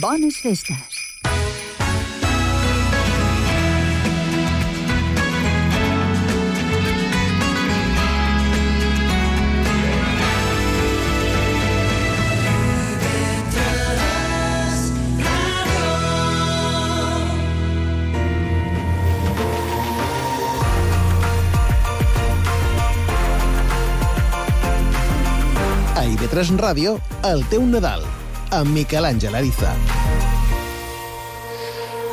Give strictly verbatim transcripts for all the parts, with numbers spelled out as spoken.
Bones festes. A I V tres Ràdio, el teu Nadal, amb Miquel Àngel Ariza.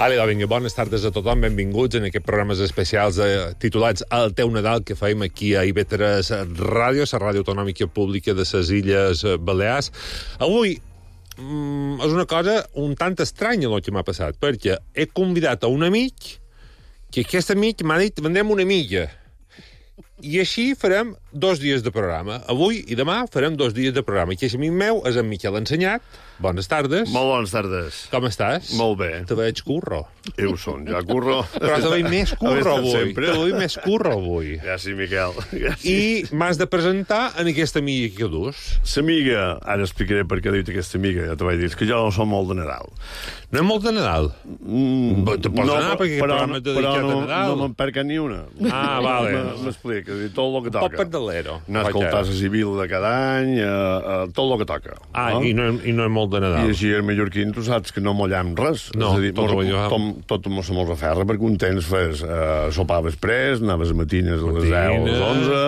Ale, vinga, bones tardes a tothom, benvinguts en aquests programes especials eh, titulats El teu Nadal que fem aquí a I V tres Ràdio, la ràdio autonòmica pública de les Illes Balears. Avui mm, és una cosa un tant estranya el que m'ha passat, perquè he convidat a un amic que aquest amic m'ha dit vendrem una milla. I així farem dos dies de programa. Avui i demà farem dos dies de programa. I aquest amic meu és en Miquel Ensenyat. Bones tardes. Molt bones tardes. Com estàs? Molt bé. Te veig curro. Jo ho són, ja curro. Però te veig més curro avui. Sempre. Te veig més curro avui. Gràcies, Miquel. Gràcies. I m'has de presentar en aquesta amiga que dus. L'amiga, ara explicaré per què he dit aquesta amiga, ja t'ho vaig dir, és que jo no som molt de Nadal. No és molt de Nadal? Mm, Te pots no, anar perquè aquest però, programa és dedicat però no, a Nadal. no me'n perca ni una. Ah, vale. M'explica, tot el que Un poc toca. pardalero. Anar a escoltar la civil de cada any, eh, eh, tot el que toca. Ah, no? i, no, i no és molt de Nadal. I així el mallorquí, tu saps que no mollem res. No, és a dir, tot mos- ho veiem. tom, tot mos se mos aferra, perquè un temps fes uh, sopar després, anaves a matines a les deu, a les onze,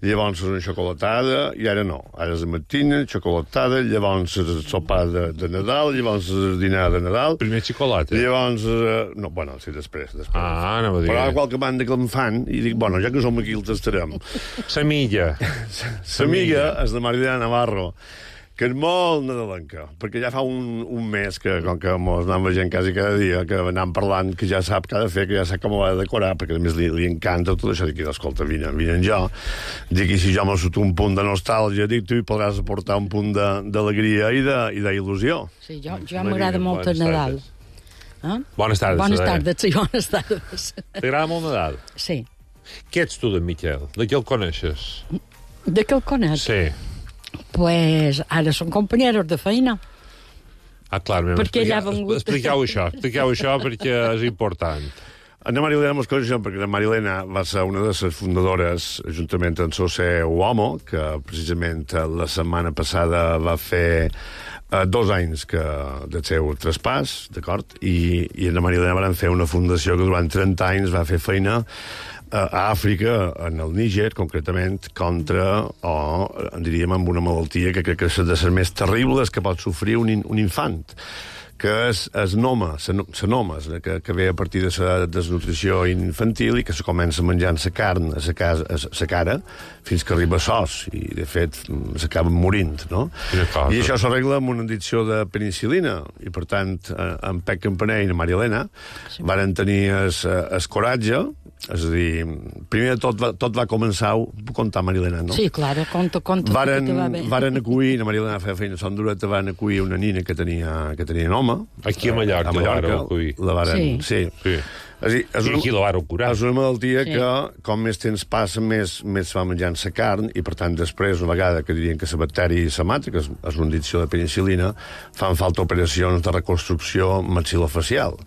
llavors una xocolatada, i ara no. Ara és a matina, xocolatada, llavors el sopar de, de Nadal, llavors el dinar de Nadal. Primer xocolata. Llavors, uh, no, bueno, sí, després, després. Ah, anava a dir. Però a qualque banda que em fan, i dic, bueno, ja que som aquí, els estarem. Sa milla. L'amiga és de Marilena Navarro, que és molt nadalenca, perquè ja fa un, un mes que, com que mos anem veient quasi cada dia, que anem parlant, que ja sap què ha de fer, que ja sap com ho ha de decorar, perquè a més li, li encanta tot això. Dic, escolta, vine, vine en jo. Dic, i si jo m'ho surto un punt de nostàlgia, dic, tu hi podràs aportar un punt d'alegria i d'il·lusió. Sí, jo, jo m'agrada molt el Nadal. Eh? Bones tardes. Bones Adela. tardes, sí, bones tardes. T'agrada molt Nadal? Sí. Què ets tu, d'en Miquel? De qui el coneixes? De què el conec? Sí. Pues ara són companyeros de feina. Ah, clar, m'hem Perquè ella ha explicat- vengut. Expliqueu això, expliqueu això perquè és important. Ana Marilena mos coneixem perquè la Marilena va ser una de les fundadores, juntament amb José Uomo, que precisament la setmana passada va fer eh, dos anys que del seu traspàs, d'acord? I, i Ana Marilena van fer una fundació que durant trenta anys va fer feina a Àfrica, en el Níger, concretament, contra, o en diríem, amb una malaltia que crec que és de les més terribles que pot sofrir un, in, un infant, que és el noma, la noma, que, que ve a partir de la desnutrició infantil i que se comença menjant la carn a la cara fins que arriba a sos i, de fet, s'acaben morint, no? I això s'arregla amb una addicció de penicil·lina i, per tant, en Pec Campaner i la Maria Elena sí. Varen tenir el coratge. És a dir, primer de tot va, tot va començar, ho puc contar, Maria Elena, no? Sí, claro, conta, conta. Varen, que va bé. varen acollir, la Maria Elena feia feina a Son Dureta, van acollir una nina que tenia, que tenia home. Aquí a Mallorca, a Mallorca la varen acollir. La varen, sí. sí. sí. És, dir, és, I aquí la varen curar. és una malaltia Sí. que, com més temps passa, més, més va menjant la carn, i per tant després, una vegada que dirien que la bacteri se mata, que és, és una addicció de penicil·lina, fan falta operacions de reconstrucció maxilofacial.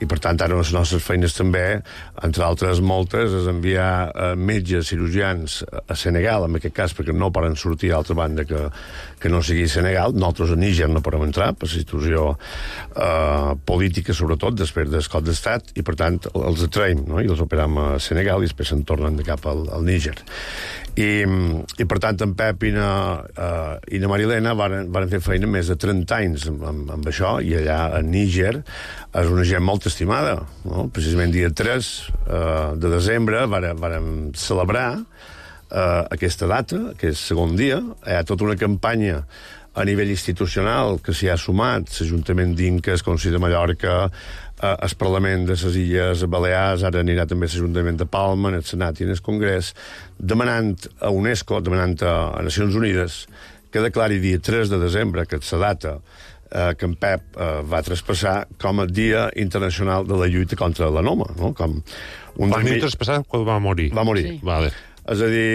I per tant, ara les nostres feines també, entre altres moltes, és enviar eh, metges cirurgians a Senegal, en aquest cas, perquè no poden sortir a altra banda que, que no sigui Senegal. Nosaltres a Níger no podem entrar, per la situació eh, política, sobretot, després del cop d'estat, i per tant els atraïm, no? I els operam a Senegal i després se'n tornen de cap al, al Níger. I, i per tant en Pep i na, uh, i na Marilena varen, varen fer feina més de trenta anys amb, amb, amb això, i allà a Níger és una gent molt estimada, no? Precisament dia tres uh, de desembre varen, varen celebrar uh, aquesta data, que és segon dia. Hi ha tota una campanya a nivell institucional que s'hi ha sumat l'Ajuntament d'Inca, el Consell de Mallorca, eh, el Parlament de les Illes Balears, ara anirà també l'Ajuntament de Palma, en el Senat i en el Congrés, demanant a UNESCO, demanant a, a Nacions Unides, que declari dia tres de desembre, que és la data eh, que en Pep eh, va traspassar com a Dia Internacional de la Lluita contra l'Anoma, no? Com un Quan m'hi traspassat, quan va morir. Va morir. Sí. Vale. És a dir,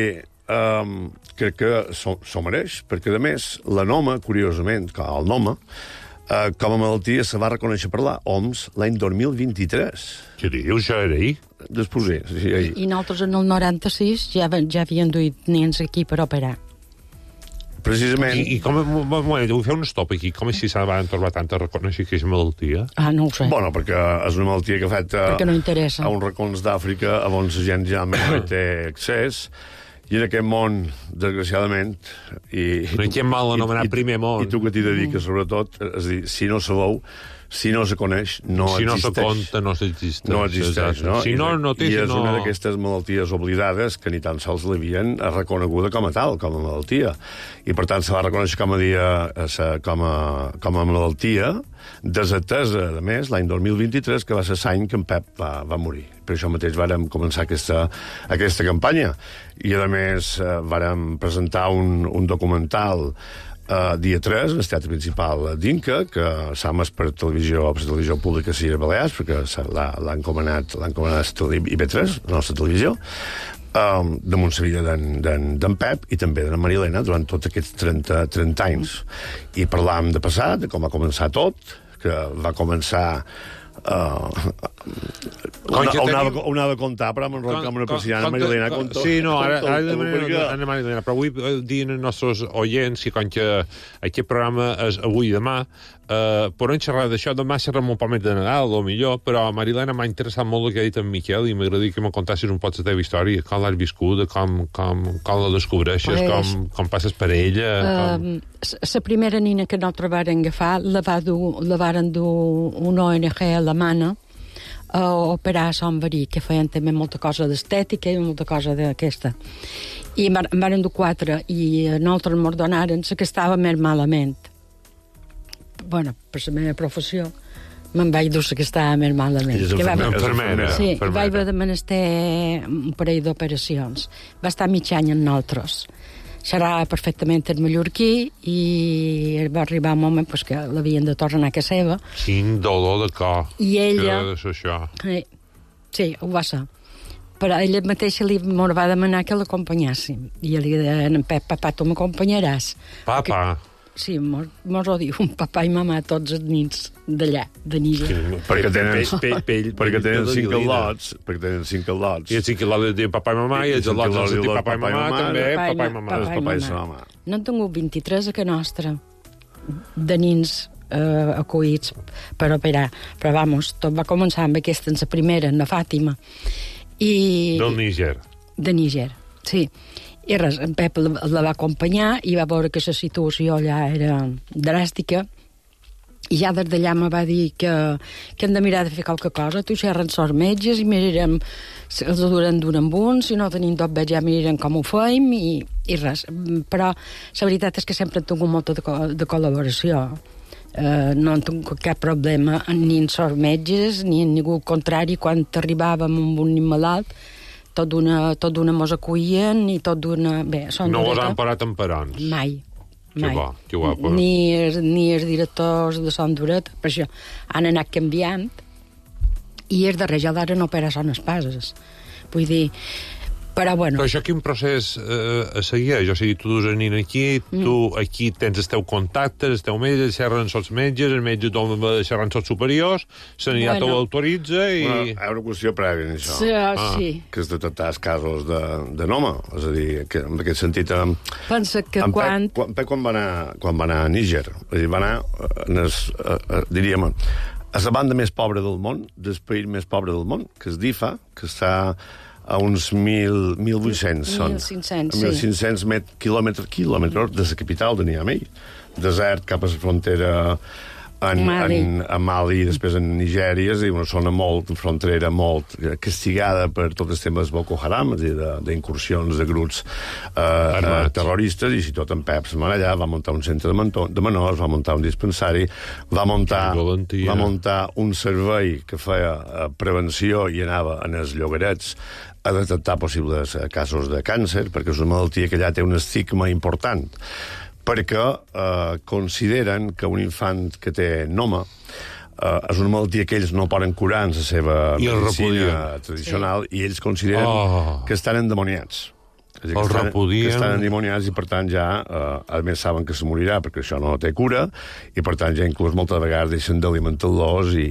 um, crec que s'ho mereix, perquè, a més, la Noma, curiosament, el Noma, Uh, com a malaltia se va reconèixer per la O M S l'any dos mil vint-i-tres. Què dius, ja era ahir? Després, sí, sí, ahir. I nosaltres en el noranta-sis ja, ja havien duit nens aquí per operar. Precisament... I, i com... Un moment, vull fer un stop aquí. Com és si se van trobar tant a reconèixer que és malaltia? Ah, no ho sé. Bueno, perquè és una malaltia que afecta perquè no interessa. a uns racons d'Àfrica on la gent ja no té accés. I en aquest món, desgraciadament... I, no hi ha mal anomenat primer món. I tu que t'hi dediques, sobretot, és a dir, si no sabeu, si no se coneix, no si existeix. Si no se compta, no s'existeix. No existeix, no? Si no, no té... I és no... una d'aquestes malalties oblidades que ni tan sols l'havien reconeguda com a tal, com a malaltia. I, per tant, se va reconèixer com a, dia, com a, com a malaltia, desatesa, a més, l'any dos mil vint-i-tres, que va ser l'any que en Pep va, va morir. Per això mateix vàrem començar aquesta, aquesta campanya. I, a més, vàrem presentar un, un documental Uh, dia tres, en el teatre principal d'Inca, que s'ha emès per televisió, per televisió pública a Illes Balears, perquè l'ha encomanat, l'ha encomanat I B tres, la nostra televisió, um, damunt la vida d'en Pep i també de la Marilena durant tots aquests trenta, trenta anys. I parlàvem de passat, de com va començar tot, que va començar... Uh, on, on, anava, on anava a contar, però amb una persiana Marilena conto. Sí, no, ara, ara de Anna Marilena, però vull dir als nostres oients que com que aquest programa és avui i demà, uh, podem xerrar d'això, demà xerrem un poc més de Nadal, o millor, però a Marilena m'ha interessat molt el que ha dit en Miquel i m'agradaria que me contassis un poc la teva història, com l'has viscut, com, com, com la descobreixes, pues, com, com passes per ella... Com... La primera nina que nosaltres varen agafar la, va dur, la varen dur una O N G alemana a operar a Sant Verí, que feien també molta cosa d'estètica i molta cosa d'aquesta. I en varen dur quatre, i nosaltres ens donaren la que estava més malament. Bueno, per la meva professió, me'n vaig dur la que estava més malament. I és infermera. Sí, vaig haver de menester un parell d'operacions. Va estar mig any amb nosaltres. Serà perfectament el mallorquí i va arribar un moment pues, que l'havien de tornar a casa seva. Quin dolor de cor. I ella... Que és això. Sí, sí, ho va ser. Però ella mateixa li va demanar que l'acompanyéssim. I li deia, en Pep, papà, tu m'acompanyaràs. Papa? Que... Sí, mos, mos ho diu un papà i mamà tots els nins d'allà, de Níger. Perquè tenen, pell, pell, perquè tenen cinc al·lots, perquè tenen cinc al·lots. I els cinc al·lots diuen papà i mamà, i els al·lots els diuen papà i mamà, també, papà i mamà. Els papà i mamà. No han tingut vint-i-tres a que nostra, de nins eh, acollits per operar. Però, vamos, tot va començar amb aquesta, en la primera, en la Fàtima. I... Del Níger. De Níger, sí. I res, en Pep la, la va acompanyar i va veure que la situació allà era dràstica i ja des d'allà me va dir que, que hem de mirar de fer qualque cosa. Tu xerren sort metges i mirarem, els duren d'un amb un, si no tenim tot bé ja mirarem com ho feim i, i res. Però la veritat és que sempre he tingut molta de, de col·laboració. Uh, no han tingut cap problema ni en sort metges ni en ningú contrari quan arribàvem amb un nin malalt. Tot d'una, tot d'una mos acollien i tot d'una... Bé, no us han parat en perons? Mai. Que mai. bo, que guapa. Ni, ni els directors de Son Dureta, per això han anat canviant i els darrers ja d'ara no operen son espases. Vull dir... Però, bueno... Però això quin procés eh, a seguir? O sigui, tu dus el nin aquí, mm. tu aquí tens els teus contactes, els teus metges, xerren sots metges, el metge t'ho xerren sots superiors, l'anitat bueno. ho autoritza i... Bueno, hi ha una qüestió prèvia en això. Sí, ah. sí. Que és detectar els casos de, de noma. És a dir, que en aquest sentit... En, Pensa que en quan... Pep, quan, Pep, quan va anar, quan va anar a Níger, és a dir, va anar, en es, a, a, diríem, a la banda més pobra del món, del país més pobre del món, que és Difa, que està a uns mil, mil vuit-cents són. mil cinc-cents, sí. mil cinc-cents quilòmetres, quilòmetres de la capital de Niamey. Desert cap a la frontera en Mali, en, en Mali i després en Nigèria, és a dir, una zona molt, frontera molt castigada per tots els temes Boko Haram, és a dir, d'incursions de grups eh, terroristes, i si tot en Pep se'n va allà, va muntar un centre de, mentó, de menors, va muntar un dispensari, va muntar, va muntar un servei que feia eh, prevenció i anava en els llogarets a detectar possibles casos de càncer, perquè és una malaltia que allà té un estigma important, perquè eh, consideren que un infant que té noma eh, és una malaltia que ells no poden curar en la seva I medicina tradicional, sí. I ells consideren oh. que estan endemoniats. És a dir, El que estan, repudien. que estan endimoniats i, per tant, ja, eh, a més, saben que se morirà perquè això no té cura i, per tant, ja inclús moltes vegades deixen d'alimentar-los i...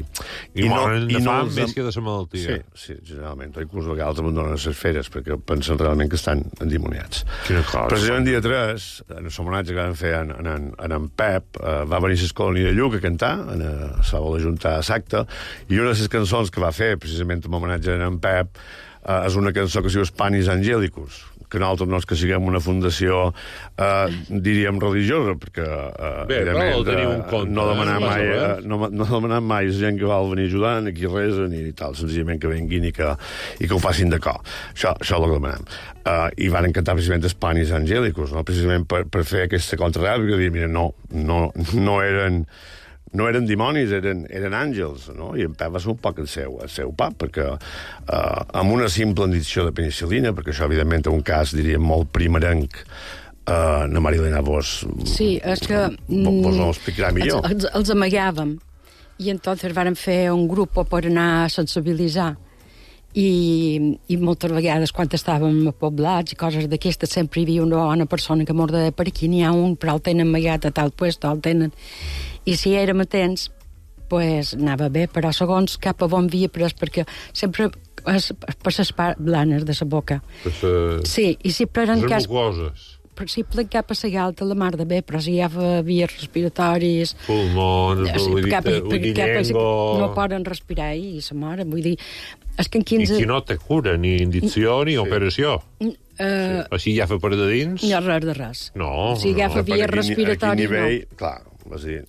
I, I moren de fam els... més que de la malaltia. Sí, sí, generalment. O inclús a vegades abandonen les feres perquè pensen realment que estan endimoniats. Quina cosa. Precisament dia tres, en el homenatge que van fer en, en, en en Pep, eh, va venir a l'Escolònia de Lluc a cantar, en, a, se va l'Ajuntar a Sacte, i una de les cançons que va fer, precisament en homenatge a en Pep, eh, és una cançó que es diu Spanis Angelicus, que nosaltres no és que siguem una fundació, eh, diríem, religiosa, perquè eh, Bé, però ho teniu en compte. No demanar eh? mai, eh, no, no demanar mai la gent que vol venir ajudant, aquí resa, ni tal, senzillament que venguin i que, i que ho facin de cor. Això, això és el que demanem. Uh, I van cantar precisament Spanis Angelicus, no? Precisament per, per fer aquesta contraràbia, que dir, mira, no, no, no eren... no eren dimonis, eren, eren àngels, no? I en Pep va ser un poc el seu, el seu pap, perquè eh, amb una simple injecció de penicil·lina, perquè això, evidentment, és un cas, diríem, molt primerenc, eh, na Marilena, vos... Sí, és que... Vos ho explicarà millor. Els, els, els amagàvem, i entonces vàrem fer un grup per anar a sensibilitzar. I, i moltes vegades, quan estàvem a poblats i coses d'aquestes, sempre hi havia una bona persona que morda per aquí, n'hi ha un, però el tenen amagat a tal puesto, el tenen... I si érem atents, pues, anava bé, però segons cap a on havia pres, perquè sempre és per les parts blanes de la boca. Per sa... Sí, i si prenen cas... Les mucoses. Per si plen cap a la galta, la mar de bé, però si hi ha vies respiratoris... Pulmons, sí, cap, ullillengo... No poden respirar i se moren, vull dir... És que en quinze... I qui no té cura, ni indicció ni sí. operació. Uh, sí. Així ja fa per de dins? No, res de res. No, si agafa no. vies respiratoris, nivell, no. Clar, és dir...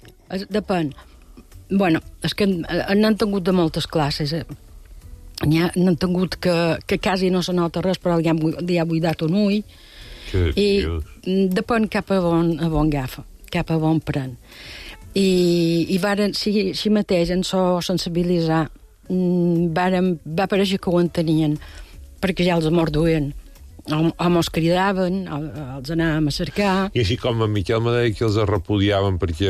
Depèn. Bueno, és que n'han tingut de moltes classes. Eh? N'han tingut que, que quasi no se nota res, però ja, ja ha buidat un ull. Que I Dios. Depèn cap a on, a on agafa, cap a on pren. I, i varen, si, si mateix en so sensibilitzar, varen, va pareixer que ho entenien, perquè ja els morduien. O mos cridaven, o, els anàvem a cercar... I així com en Miquel me deia que els repudiaven perquè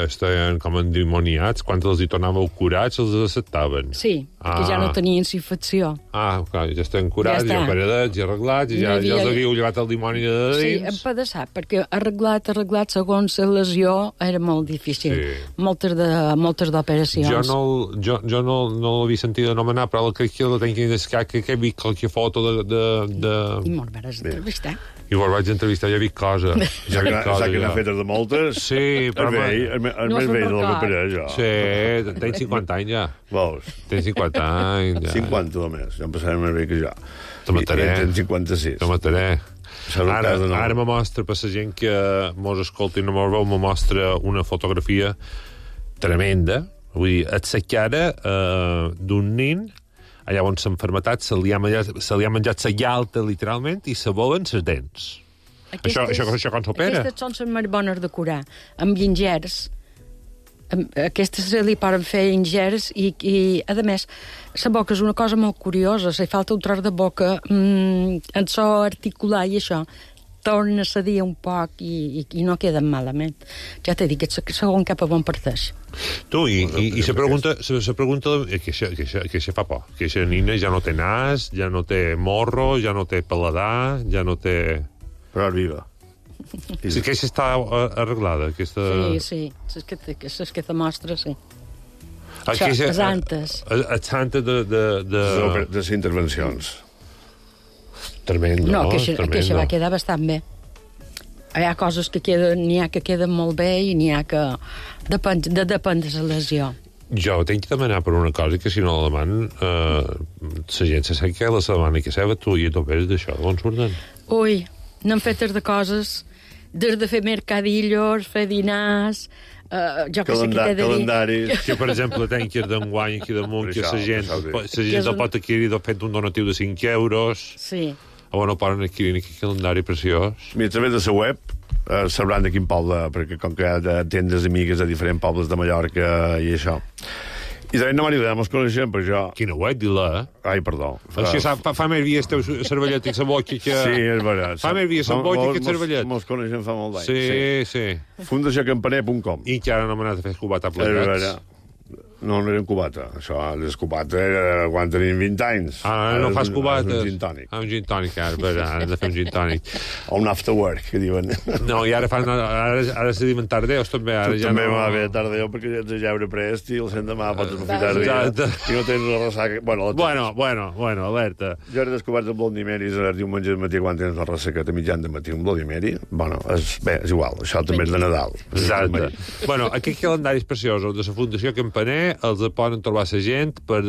estaven com endimoniats, quan els hi tornàveu curats, els acceptaven. Sí, ah. que ja no tenien infecció. Ah, clar, ja estan curats, ja, ja operadets, ja arreglats, i ja, no havia... ja els havíeu llevat el dimoni de dins. Sí, empedaçat, perquè arreglat, arreglat, segons la lesió, era molt difícil. Sí. Moltes de, moltes d'operacions. Jo no, jo, jo no, no l'havia sentit anomenar, però crec que la tenc que descar, que he vist qualque foto de... de, de... I me'n vas entrevistar. I vos vaig entrevistar, ja he vist cosa. Ja que n'ha fet de moltes... Sí, però... El vell, el, el no més vell del que per jo. Sí, tens cinquanta anys ja. Veus? Tens cinquanta anys ja. cinquanta només, ja em passarem més bé que jo. Te mataré. I tens cinquanta-sis. Te mataré. Ara, no. ara me mostra, per la gent que mos escolta i no mos veu, me mostra una fotografia tremenda. Vull dir, et sa cara eh, d'un nin allà on s'ha enfermetat, se li ha menjat, se li ha menjat la galta, literalment, i se volen les dents. Aquestes, això, això, això com s'opera? Aquestes són les més bones de curar, amb ingers. Aquestes se li poden fer ingers i, i a més, la boca és una cosa molt curiosa, si falta un tros de boca, mmm, en so articular i això, torna a cedir un poc i, i, i no queden malament. Ja t'he dit que segon cap a on parteix. Tu, i, i, i se pregunta, se, se pregunta que això, que, això, que això fa por, que aquesta nina ja no té nas, ja no té morro, ja no té paladar, ja no té... Però és viva. Sí, que aquesta està arreglada, aquesta... Sí, sí, és que, és que te mostra, sí. Això, les antes. Les antes de... De, de... de les intervencions. Tremendo, no? Que això, que això va quedar bastant bé. Hi ha coses que queden, n'hi ha que queden molt bé i n'hi ha que... Depèn de, depèn de la lesió. Jo tinc que demanar per una cosa que si no la deman eh, la gent se sap que la setmana que seva tu i tu veus d'això, d'on surten? Ui, n'han fetes de coses des de fer mercadillos, fer dinars, uh, jo que sé què t'he de dir. Calendaris. Que, per exemple, tenc que d'enguany aquí damunt, que la gent, la gent el pot adquirir fent un donatiu de cinc euros. Sí. O no poden adquirir aquest calendari preciós. Mira, a través de la web eh, sabran de quin poble, perquè com que hi ha tendes amigues de diferents pobles de Mallorca i això. I també no m'agrada, mos coneixem, però jo... Quina web, di-la, eh? Ai, perdó. Fa, fa, fa més vies teu cervellet i sa boca que... Sí, és veritat. Fa més vies sa boca que cervellet. Mos coneixem fa molt d'anys. Sí, sí. fundació campaner punt com. I que ara no m'ha anat a fer cubata plegat. no, no era un cubata. Això, les cubata era quan tenim vint anys. Ah, no fas cubates. Un gin tònic. Ah, un gin tònic, ara, però ara hem de fer un gin tònic. O un after work, que diuen. No, i ara fan... Ara, ara se diuen tardeus, també. Ara ja també no... va bé tardeu, perquè ja ets de jeure prest i el sendemà pots aprofitar dia i no tens una ressaca. Bueno, bueno, bueno, bueno, alerta. Jo he descobert el Bloody Mary el diumenge de matí quan tens una ressaca a mitjan de matí, un Bloody Mary. Bueno, és, bé, és igual, això també és de Nadal. Exacte. Bueno, aquests calendaris preciosos de la Fundació Campaner els poden trobar la gent per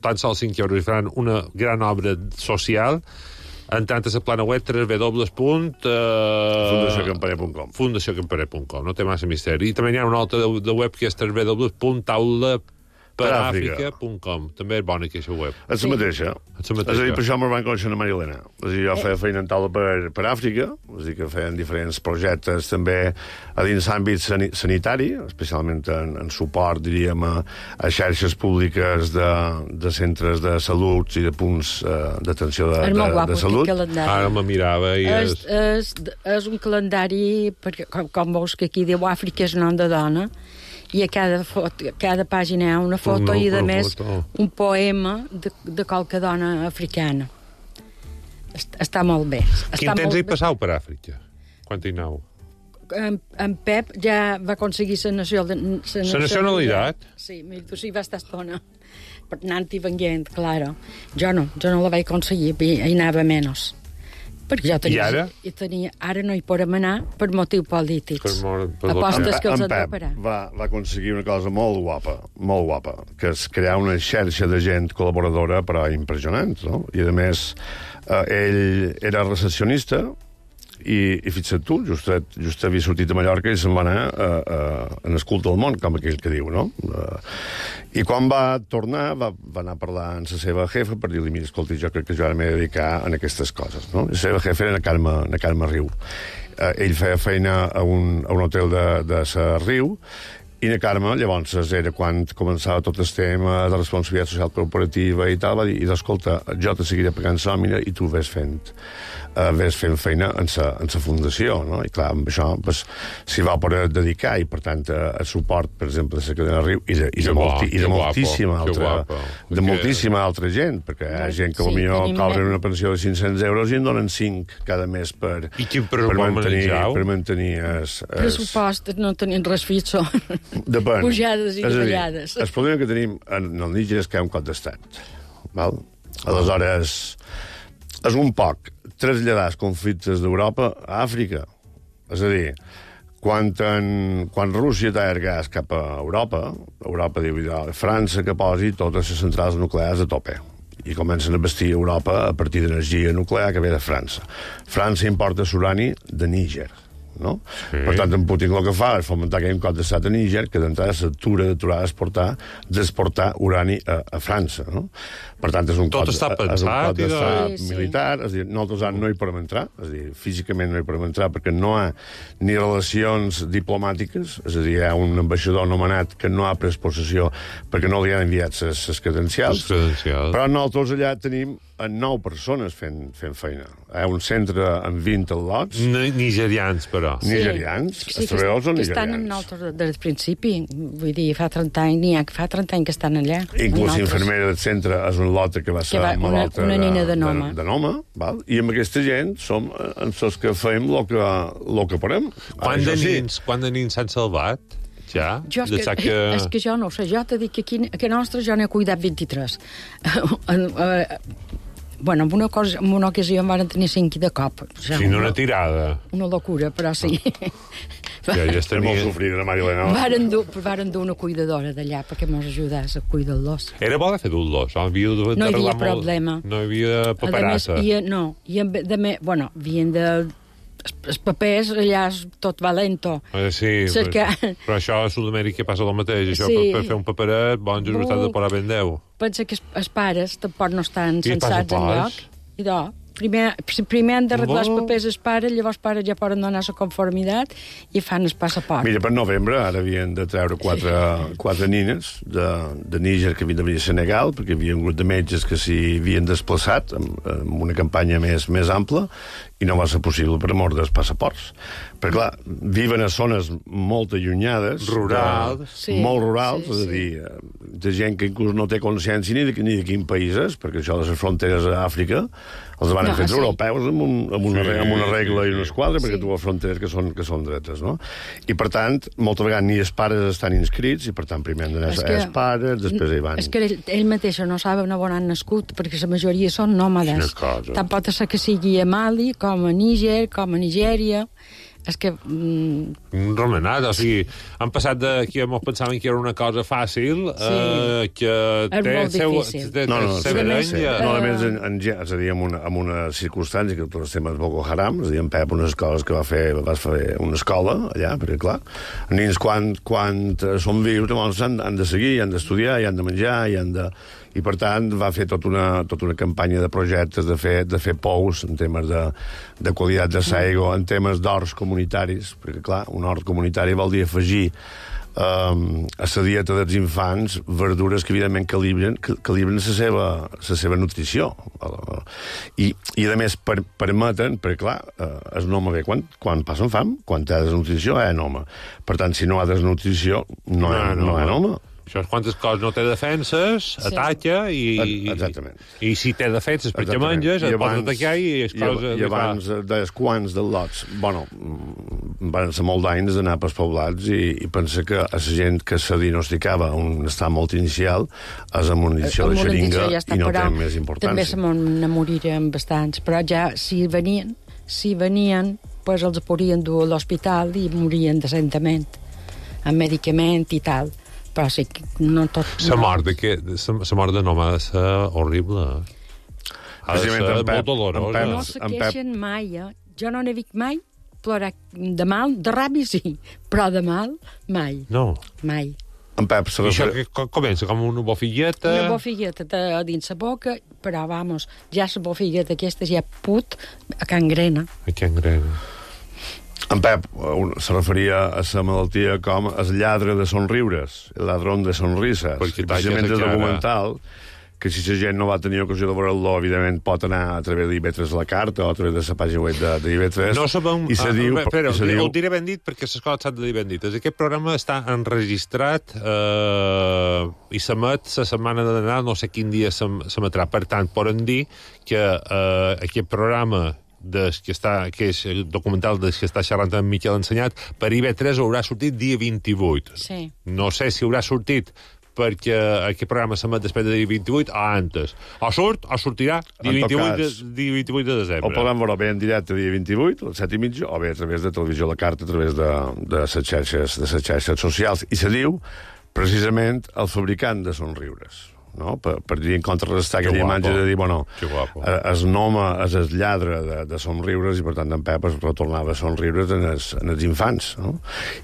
tan sols cinc euros i faran una gran obra social entrant a la plana web w w w punt fundació campaner punt com fundació campaner punt com, no té massa misteri. I també hi ha una altra de, de web que és w w w punt taula per àfrica punt com. També és bona aquesta web. És la mateixa. És la mateixa. És a dir, per això me'n van conèixer a Marilena. És a dir, jo feia feina en taula per, per Àfrica, és a dir, que feien diferents projectes també a dins l'àmbit sanitari, especialment en, en suport, diríem, a, a xarxes públiques de, de centres de salut i de punts uh, d'atenció de, de, de, de salut. Ara me mirava i és... És, és, és un calendari, perquè com, com veus que aquí diu Àfrica és nom de dona, i a cada, foto, a cada pàgina hi ha una foto no, i, a més, foto. un poema de, de qualque dona africana. Està molt bé. Està Quin temps hi passau per Àfrica? Quan hi aneu? En, en Pep ja va aconseguir la nacionalitat. La nacionalitat? Sí, tu sí va estar estona. Per anant i venint, claro. Jo no, jo no la vaig aconseguir, hi anava menys. Perquè jo tenia, I ara? I tenia, ara no hi podem anar per motius polítics. Per mor, per Apostes que els en han de Pep parar. va, va aconseguir una cosa molt guapa, molt guapa, que és crear una xarxa de gent col·laboradora, però impressionant, no? I, a més, eh, ell era recepcionista i, i fixa't tu, just, just havia sortit a Mallorca i se'n va anar uh, uh, en el culte del món, com aquell que diu, no? Uh, I quan va tornar, va, va anar a parlar amb la seva jefa per dir-li, mira, escolta, jo crec que jo ara m'he de dedicar a aquestes coses, no? I la seva jefa era na Carme, na Carme Riu. Uh, ell feia feina a un, a un hotel de, de sa Riu, i na Carme, llavors, era quan començava tot el tema de responsabilitat social corporativa i tal, va dir, escolta, jo te seguiré pagant nòmina i tu ves fent, uh, ves fent feina en sa, en sa fundació, no? I clar, amb això pues, s'hi va poder dedicar i, per tant, a, a suport, per exemple, de la cadena Riu i de, i de, molti, i de moltíssima altra, de moltíssima altra gent, perquè hi ha gent que potser sí, cobren una pensió de cinc-cents euros i en donen cinc cada mes per, per mantenir, per mantenir es, es... pressupost, no tenien res fitxo. Depèn. Pujades i davallades. El problema que tenim en el Níger és que hi ha un cop d'estat. Val? Aleshores, és un poc traslladar els conflictes d'Europa a Àfrica. És a dir, quan, en, quan Rússia talla el gas cap a Europa, Europa diu, França que posi totes les centrals nuclears a tope. I comencen a vestir Europa a partir d'energia nuclear que ve de França. França importa l'urani de Níger. No? Sí. Per tant, en Putin el que fa és fomentar aquell cop d'estat a Níger que d'entrada s'atura d'aturar d'exportar d'exportar urani a, a França, no? Per tant, és un tot cop, està pensat, és un cop d'estat sí, sí. militar, és a dir, nosaltres no hi podem entrar, és a dir, físicament no hi podem entrar perquè no hi ha ni relacions diplomàtiques, és a dir, hi ha un ambaixador nomenat que no ha pres possessió perquè no li han enviat les credencials, credencials, però nosaltres allà tenim nou persones fent, fent feina. Hi ha un centre amb vint al·lots. Nigerians, però. Sí. Nigerians? Sí, els treballadors són nigerians. Que estan en altres des del principi. Vull dir, fa trenta anys, n'hi ha que fa trenta anys que estan allà. Inclús l'infermera del centre és un lote que va ser que va, malalta una, una nina de, de Noma. De, de Noma, val? I amb aquesta gent som els que fem el que, lo que podem. Quant de nins, quant de nins s'han salvat? Ja? Jo és, que, que... és que jo no ho sé. Jo t'he dit que aquí, que nostre jo n'he cuidat vint-i-tres. Bueno, en una, cosa, en una ocasió em van tenir cinc de cop. Ja, sí, no una tirada. Una locura, però sí. Ja, ja estem molt sofrir, la Marilena. Varen dur, varen dur una cuidadora d'allà perquè mos ajudés a cuidar-los. Era bo de fer dur-los? No, havia de no hi havia molt... problema. No hi havia paperassa? A més, no, i en, de me, bueno, havien de... Els papers, allà és tot valento. Eh, sí, Cerca... però, però això a Sud-amèrica passa el mateix. Això sí. per, per fer un paperet, bons just has de posar ben deu. Pensa que els pares tampoc no estan censats enlloc. I do, primer, primer han d'arreglar els papers els pares, llavors els pares ja poden donar la conformitat i fan el passaport. Mira, per novembre ara havien de treure quatre, quatre nines de, de Níger que havien de venir a Senegal, perquè hi havia un grup de metges que s'hi havien desplaçat amb, amb una campanya més, més ampla, i no va ser possible per mort dels passaports. Perquè, clar, viven a zones molt allunyades, rurals, de, sí, molt rurals, sí, és a dir, de gent que inclús no té consciència ni de, ni de quin país és, perquè això de les fronteres a Àfrica els van no, fer els sí. europeus amb, un, amb, una, sí, amb una regla i una esquadra, perquè sí. tu has fronteres que són, que són dretes, no? I, per tant, moltes vegades ni els pares estan inscrits, i, per tant, primer han d'anar els pares, després hi van... És que ell, ell mateix no saben on han nascut, perquè la majoria són nòmades. Tant pot ser que sigui a Mali, com a Níger, com a Nigèria... És que... Mm... Romanat, o sigui, han passat de que ens pensaven que era una cosa fàcil, sí. eh, que té és seu... té, no, no, té sí, sí. no, a més, en, en, és a dir, en una, en una circumstància que tots els temes Boko Haram, és a dir, en Pep, unes escoles que va fer, va fer una escola allà, perquè, clar, els nens, quan, quan són vius, llavors han, han de seguir, han d'estudiar, i han de menjar, i han de... I, per tant, va fer tota una, tota una campanya de projectes, de fer, de fer pous en temes de, de qualitat de l'aigua, en temes d'horts comunitaris, perquè, clar, un hort comunitari vol dir afegir um, a la dieta dels infants verdures que, evidentment, calibren, calibren la seva, la seva nutrició. I, i a més, per, permeten, perquè, clar, el home ve quan, quan passen fam, quan té desnutrició, hi ha home. Per tant, si no hi ha desnutrició, no hi ha, no, no hi ha home. Això és quantes coses no té defenses, sí. ataca, i, Exactament. i, i si té defenses perquè menges, et pots atacar i és cosa... I, i abans dels quants dels lots, bueno, van ser molt d'anys d'anar pels poblats i, i pensar que a la gent que se diagnosticava un estat molt inicial és amb una iniciació de xeringa ja està, i no té més importància. També se me'n moririen bastants, però ja si venien, si venien, pues els podien dur a l'hospital i morien decentament, amb medicament i tal. Però sí que no tot... La mort de que la mort de nom ha de ser horrible. Ha de ser molt dolorosa. No se queixen mai, eh? Jo no n'he vist mai plorar de mal, de ràbia sí, però de mal, mai. No. Mai. En Pep, I això que comença com una bofigueta... Una bofigueta a dins la boca, però, vamos, ja la bofigueta aquesta ja put a cangrena. A cangrena. En Pep se referia a la malaltia com el lladre de somriures, el ladrón de sonrises. Perquè precisament el documental, que si la gent no va tenir ocasió de veure-lo, evidentment pot anar a través d'I B tres La Carta o a través de la pàgina web de, de I B tres. No sabem... I se diu... Ah, però, se diu... ho diré ben dit perquè les coses s'han de dir ben dites. Aquest programa està enregistrat eh, i s'emet la setmana de Nadal, no sé quin dia s'emetrà. Per tant, poden dir que eh, aquest programa des que, està, que és el documental des que està xerrant amb Miquel Ensenyat, per I B tres haurà sortit dia vint-i-vuit. Sí. No sé si haurà sortit perquè aquest programa s'emet després de dia vint-i-vuit o antes. O surt o sortirà dia vint-i-vuit, cas, de, dia vint-i-vuit de desembre. O podem veure bé en directe dia vint-i-vuit, a les set i mitja, o bé a través de Televisió La Carta, a través de, de, les, xarxes, de les xarxes socials. I se diu, precisament, el fabricant de somriures. No? Per, per dir en contrarrestar aquella imatge de dir, bueno, es noma, es el lladre de, de somriures i per tant en Pep es retornava a somriures en els, en els infants, no?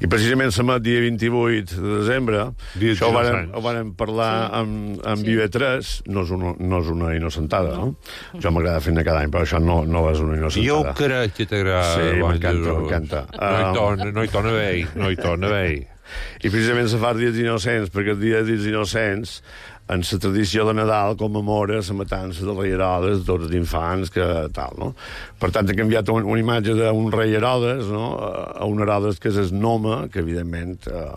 I precisament s'emet dia vint-i-vuit de desembre, dia això ho vàrem, ho vàrem parlar sí. amb, amb sí. I B tres, no és, una, no és una innocentada, no? no? Jo m'agrada fer-ne cada any, però això no, no és una innocentada. Jo crec que t'agrada. Sí, m'encanta, m'encanta. No hi torna, no hi torna bé, no hi torna bé. I precisament se fa dies innocents, perquè el dia de dies innocents en la tradició de Nadal commemora la matança del rei Herodes, de tots els infants, que tal, no? Per tant, ha canviat un, una imatge d'un rei Herodes, no?, a un Herodes que és el Noma, que evidentment eh,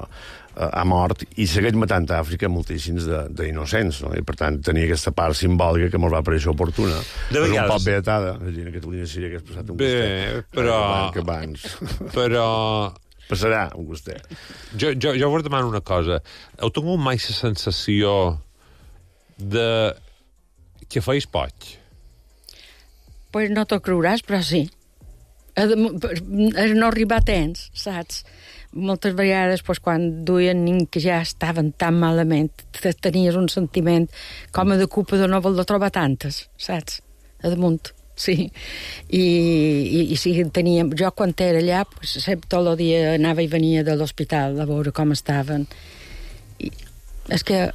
ha mort, i segueix matant a Àfrica moltíssims d'innocents, no? I per tant tenia aquesta part simbòlica que ens va parèixer oportuna. De vegades... És un poc beatada, a Catalunya sí que hagués passat un gustet. Bé, però... Que abans. Però... Passarà un gustet. Jo, jo, jo vos demano una cosa. Heu tingut mai la sensació de que feis poig? Pues no t'ho creuràs, però sí. No arribar a temps, saps? Moltes vegades, pues, quan duien nins que ja estaven tan malament, tenies un sentiment com a de culpa de no voler trobar tantes, saps? A damunt. Sí, i, i, i sí, teníem, jo quan era allà, pues, sempre tot el dia anava i venia de l'hospital a veure com estaven. I és que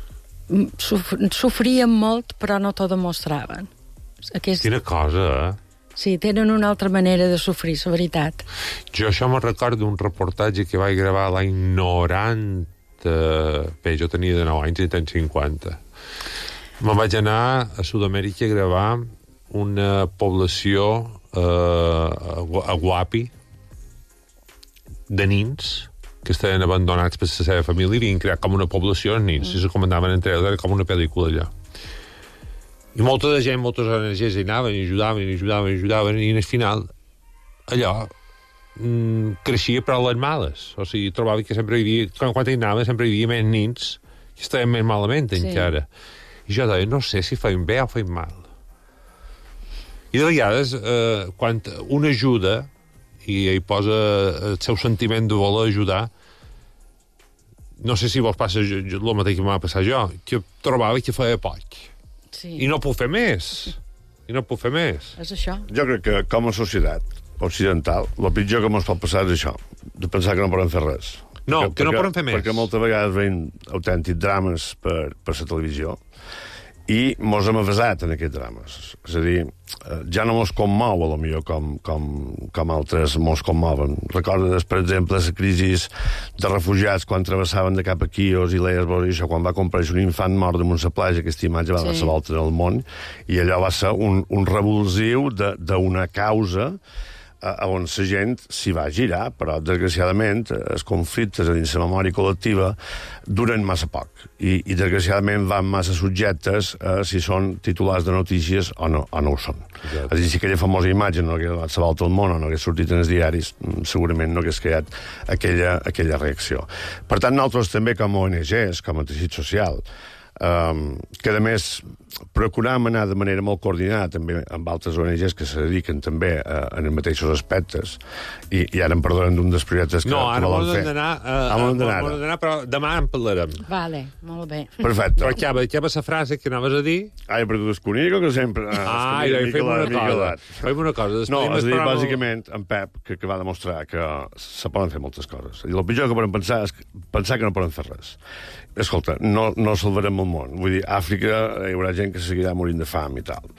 sofrien molt, però no t'ho demostraven. Aquest... Quina cosa, eh? Sí, tenen una altra manera de sofrir, la veritat. Jo això me'n recordo d'un reportatge que vaig gravar l'any noranta... Bé, jo tenia de nou anys i tenia cinquanta. Me'n vaig anar a Sud-amèrica a gravar una població eh, a Guapi de nins que estaven abandonats per la seva família i havien creat com una població de nins, mm. i se comentaven entre ells, era com una pel·lícula allò. I molta de gent, moltes O N Ges hi anaven, i ajudaven, i ajudaven, i ajudaven, i al final allò mm, creixia per les males. O sigui, trobava que sempre hi havia, quan, quan hi anava, sempre hi havia més nins que estaven més malament encara. Sí. I jo deia, no sé si feim bé o feim mal. I de vegades, eh, quan un ajuda i hi posa el seu sentiment de voler ajudar, no sé si vos passa el mateix que m'ha passat jo, que trobava que feia poc. Sí. I no puc fer més. I no puc fer més. És això. Jo crec que, com a societat occidental, el pitjor que ens pot passar és això, de pensar que no podem fer res. No, perquè, que no perquè, podem fer més. Perquè moltes vegades veiem autèntics drames per, per la televisió i mos hem avasat en aquests drames. És a dir, ja no mos commou, a lo millor, com, com, com altres mos commoven. Recordes, per exemple, la crisi de refugiats quan travessaven de cap a Quios i Lesbos i això, quan va comprar un infant mort damunt la platja, aquesta imatge va sí. donar la volta en el món, i allò va ser un, un revulsiu d'una causa a on la gent s'hi va girar, però, desgraciadament, els conflictes dins la memòria col·lectiva duren massa poc, i, i desgraciadament van massa subjectes a si són titulars de notícies o no, o no ho són. Ja. És a dir, si aquella famosa imatge no hagués donat la volta al món o no hagués sortit en els diaris, segurament no hagués creat aquella, aquella reacció. Per tant, nosaltres també, com a O N Ges, com a teixit social, Um, que a més procurem anar de manera molt coordinada també amb altres O N Ges que se dediquen també uh, en els mateixos aspectes i, i ara em perdonen d'un dels projectes que, no, que volen fer. No, ara uh, m'ho hem d'anar, però demà en parlarem. Vale, molt bé. Perfecte. Però acaba, acaba la frase que anaves a dir. Ai, però tu desconico que sempre... Ah, i fem una cosa. Fem una cosa. No, és a dir, bàsicament, en Pep, que, que va demostrar que se poden fer moltes coses. I el pitjor que podem pensar és pensar que no poden fer res. Escolta, no, no salvarem el món. Vull dir, a Àfrica hi haurà gent que seguirà morint de fam i tal.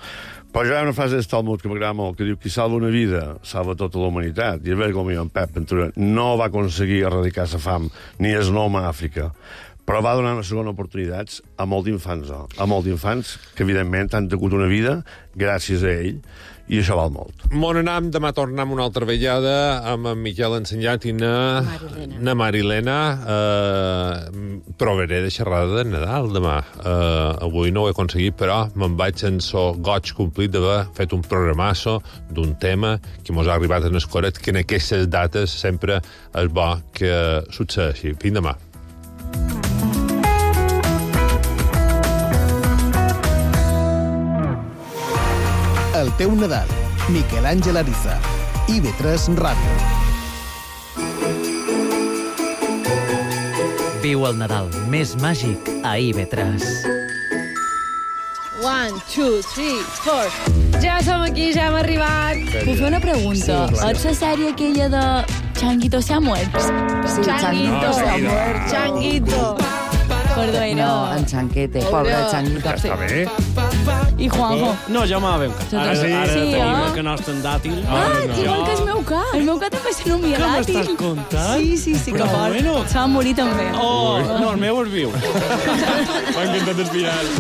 Però hi ha una frase de Talmud que m'agrada molt, que diu qui salva una vida, salva tota la humanitat. I és veritat que en Pep Ventura no va aconseguir erradicar la fam ni el nom a Àfrica, però va donar una segona oportunitat a molts infants, oh, a molts infants que, evidentment, han tingut una vida gràcies a ell, i això val molt. Bon anam, demà tornem una altra vegada amb en Miquel Ensenyat i na Marilena. Na Marilena. Uh, provaré de xerrada de Nadal demà. Uh, avui no ho he aconseguit, però me'n vaig sense goig complit d'haver fet un programasso d'un tema que mos ha arribat en el coret, que en aquestes dates sempre és bo que succeeixi. Fins demà. El teu Nadal. Miquel Àngel Ariza. I ve tres Ràdio. Viu el Nadal més màgic a I V tres. One, two, three, four. Ja som aquí, ja hem arribat. Puc fer una pregunta? Sí, claro. És la sèrie aquella de Changuito se ha muerto? Sí, Changuito se ha muerto. Changuito. Perdó, era... No, en Chanquete, pobre Changuito. Ja està bé. I Juanjo. No, ja m'ha veu. Ara sí, ara sí, tenim eh? el canal dàtil. Ah, no. Igual que el meu cat. El meu cat també se nomia dàtil. Què m'estàs contant? Sí, sí, sí, però que fort. Bueno. Se va morir també. Oh, no, el meu és viu. M'ha encantat el final.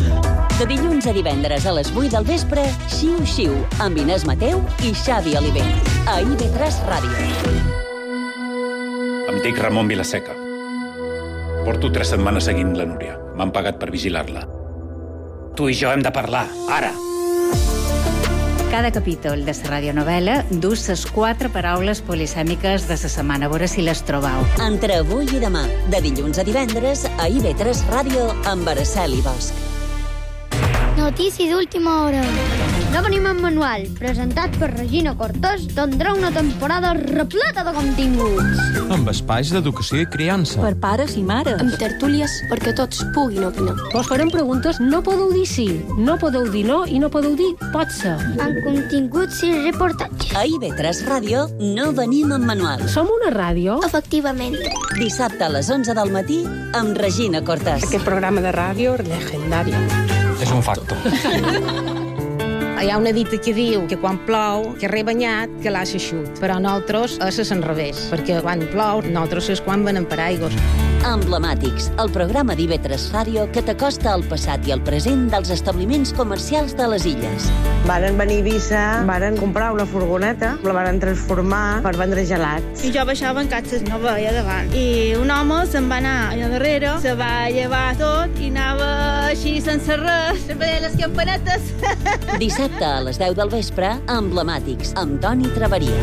De dilluns a divendres a les vuit del vespre, Xiu Xiu, amb Inés Mateu i Xavi Oliver. A I V tres Ràdio. Em dic Ramon Vilaseca. Porto tres setmanes seguint la Núria. M'han pagat per vigilar-la. Tu i jo hem de parlar, ara. Cada capítol de la radionovel·la du les quatre paraules polisèmiques de la setmana. A veure si les trobeu. Entre avui i demà, de dilluns a divendres, a I V tres Ràdio, amb Araceli Bosch. Notícies d'última hora. No venim en manual, presentat per Regina Cortés, tindrà una temporada repleta de continguts. Amb espais d'educació i criança. Per pares i mares. Amb tertúlies perquè tots puguin opinar. Vos farem preguntes, no podeu dir sí, no podeu dir no i no podeu dir pot ser. Amb continguts i reportatges. A I V tres Ràdio no venim en manual. Som una ràdio? Efectivament. Dissabte a les onze del matí amb Regina Cortés. Aquest programa de ràdio legendari. És un facto. Hi ha una dita que diu que quan plou, que re banyat, que l'ha eixut. Però nosaltres és l'enrevés, perquè quan plou, nosaltres és quan venem per aigües. Emblemàtics, el programa d'I V tres Ràdio que t'acosta al passat i al present dels establiments comercials de les illes. Varen venir a Eivissa, varen comprar una furgoneta, la varen transformar per vendre gelats. I jo baixava en catxes, no veia davant. I un home se'n va anar allà darrere, se va llevar tot i anava així sense res, sempre deia les campanetes. Dissabte a les deu del vespre, Emblemàtics, amb Toni Traveria.